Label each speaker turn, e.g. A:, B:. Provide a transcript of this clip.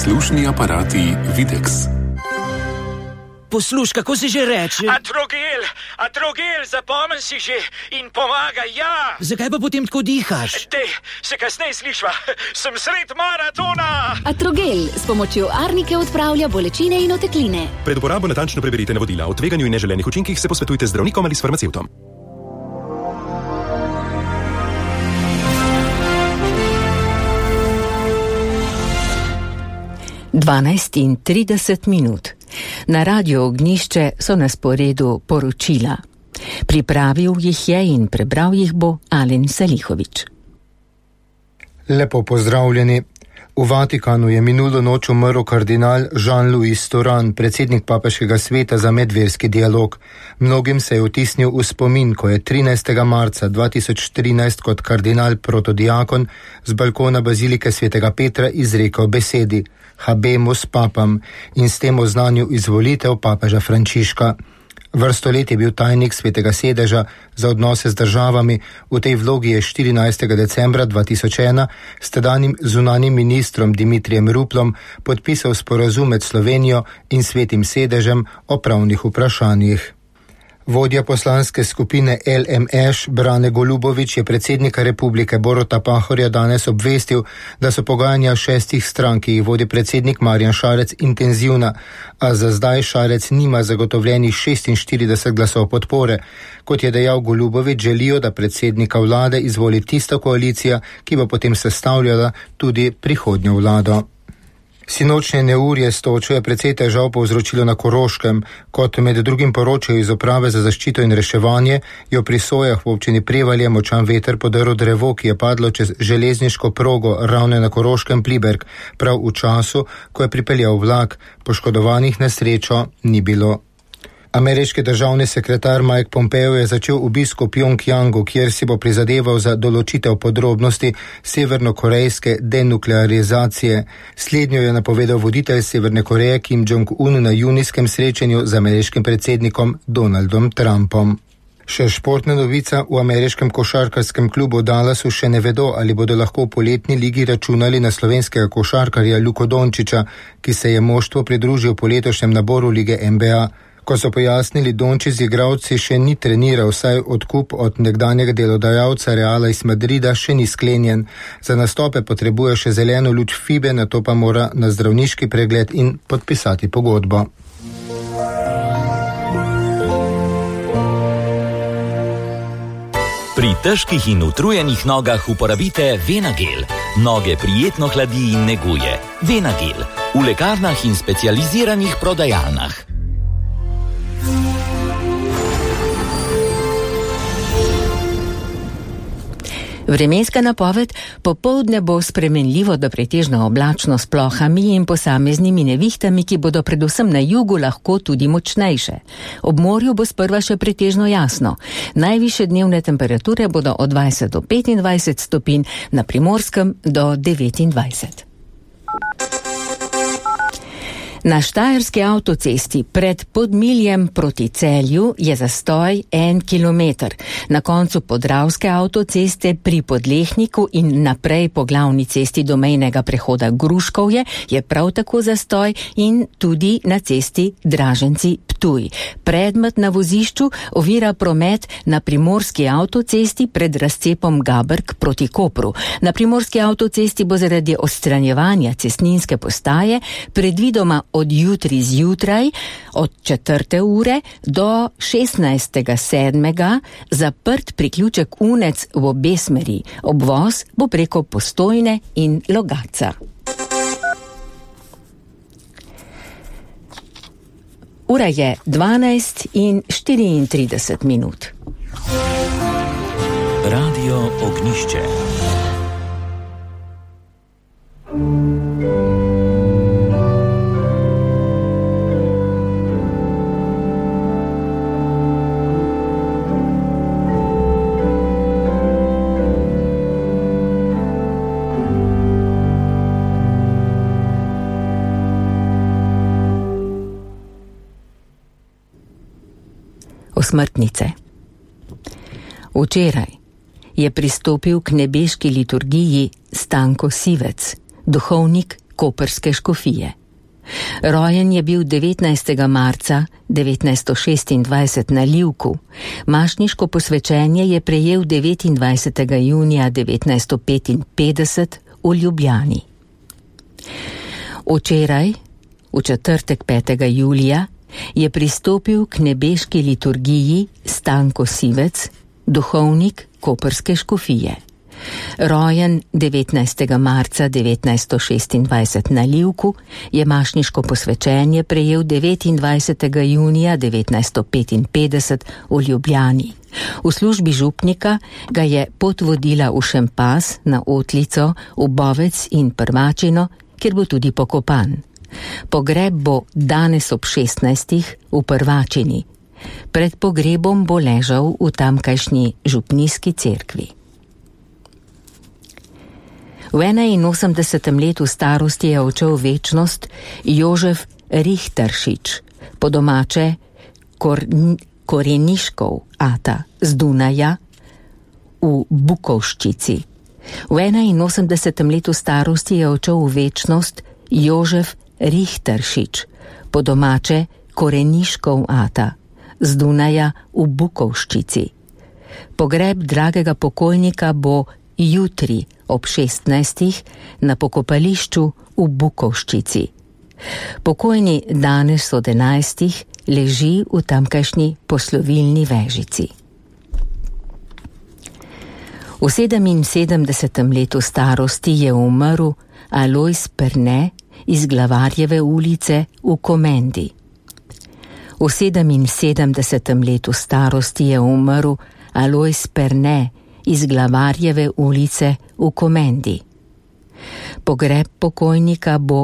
A: Slušni aparati Videx.
B: Posluš, kako se že reče?
C: Atrogel, zapomni si že in pomaga, ja.
B: Zakaj pa potem tako dihaš?
C: Se kasneje slišva, sem sred maratona.
D: Atrogel s pomočjo arnike odpravlja bolečine in otekline.
E: Pred uporabo natančno preberite navodila. O tveganju in neželenih učinkih se posvetujte z zdravnikom ali s farmacevtom.
F: Dvanajst in 30 minut. Na Radiu Ognjišče so na sporedu poročila. Pripravil jih je in prebral jih bo Alen Salihović.
G: Lepo pozdravljeni. V Vatikanu je minulo noč umrl kardinal Jean-Louis Thuram, predsednik Papeškega sveta za medverski dialog. Mnogim se je vtisnil v spomin, ko je 13. marca 2013 kot kardinal protodiakon z balkona bazilike svetega Petra izrekel besedi Habemus papam in s tem oznanil izvolitev papeža Frančiška. Vrsto let je bil tajnik svetega sedeža za odnose z državami, v tej vlogi je 14. decembra 2001 s tedanjim zunanjim ministrom Dimitrijem Ruplom podpisal sporazum med Slovenijo in svetim sedežem o pravnih vprašanjih. Vodja poslanske skupine LMŠ Brane Golubović je predsednika republike Boruta Pahorja danes obvestil, da so pogajanja 6 strank, ki jih vodi predsednik Marjan Šarec, intenzivna, a za zdaj Šarec nima zagotovljenih 46 glasov podpore. Kot je dejal Golubović, želijo, da predsednika vlade izvoli tista koalicija, ki bo potem sestavljala tudi prihodnjo vlado. Sinočnje neurje s točo je precej težav povzročilo na Koroškem. Kot med drugim poročajo iz uprave za zaščito in reševanje, je pri Sojah v občini Prevalje močan veter podrl drevo, ki je padlo čez železniško progo Ravne na Koroškem Pliberk, prav v času, ko je pripeljal vlak. Poškodovanih na srečo ni bilo. Ameriški državni sekretar Mike Pompeo je začel obisk v Pjongjangu, kjer si bo prizadeval za določitev podrobnosti severnokorejske denuklearizacije. Slednjo je napovedal voditelj Severne Koreje Kim Jong-un na junijskem srečanju z ameriškim predsednikom Donaldom Trumpom. Še športna novica, v ameriškem košarkarskem klubu Dallasu še ne vedo, ali bodo lahko v poletni ligi računali na slovenskega košarkarja Luko Dončića, ki se je moštvu pridružil po letošnjem naboru lige NBA. Ko so pojasnili, Dončić z igralci še ni treniral, saj odkup od nekdanjega delodajalca Reala iz Madrida še ni sklenjen. Za nastope potrebuje še zeleno luč FIBE, nato pa mora na zdravniški pregled in podpisati pogodbo.
H: Pri težkih in utrujenih nogah uporabite Venagel. Noge prijetno hladi in neguje. Venagel. V lekarnah in specializiranih prodajalnah.
F: Vremenska napoved: popoldne bo spremenljivo do pretežno oblačno s plohami in posameznimi nevihtami, ki bodo predvsem na jugu lahko tudi močnejše. Ob morju bo sprva še pretežno jasno. Najvišje dnevne temperature bodo od 20 do 25 stopinj, na Primorskem do 29. Na štajerski avtocesti pred Podmiljem proti Celju je zastoj 1 kilometer. Na koncu podravske avtoceste pri Podlehniku in naprej po glavni cesti do mejnega prehoda Gruškovje je prav tako zastoj in tudi na cesti Draženci-Ptuj. Predmet na vozišču ovira promet na primorski avtocesti pred razcepom Gabrk proti Kopru. Na primorski avtocesti bo zaradi odstranjevanja cestninske postaje predvidoma od jutri zjutraj, od 4. ure do 16.7. zaprt priključek Unec v obe smeri. Obvoz bo preko Postojne in Logatca. Ura je 12 in 34 minut.
H: Radio Ognjišče.
F: Osmrtnice. Včeraj je pristopil k nebeški liturgiji Stanko Sivec, duhovnik koprske škofije. Rojen je bil 19. marca 1926 na Livku, mašniško posvečenje je prejel 29. junija 1955 v Ljubljani. Včeraj, v četrtek 5. julija, je pristopil k nebeški liturgiji Stanko Sivec, duhovnik koprske škofije. Rojen 19. marca 1926 na Livku, je mašniško posvečenje prejel 29. junija 1955 v Ljubljani. V službi župnika ga je pot vodila v Šempas, na Otlico, v Bovec in Prvačino, kjer bo tudi pokopan. Pogreb bo danes ob 16. v Prvačini. Pred pogrebom bo ležal v tamkajšnji župnijski cerkvi. V 81. letu starosti je odšel v večnost Jožef Richteršič, po domače Koreniškov ata z Dunaja v Bukovščici. V 81. letu starosti je odšel v večnost Jožef Richteršič, po domače Koreniškov ata z Dunaja v Bukovščici. Pogreb dragega pokojnika bo jutri ob 16. na pokopališču v Bukovščici. Pokojni danes od 11. leži v tamkajšnji poslovilni vežici. V 77. letu starosti je umrl Alojz Perne iz Glavarjeve ulice v Komendi. V 77. letu starosti je umrl Alojz Perne iz Glavarjeve ulice v Komendi. Pogreb pokojnika bo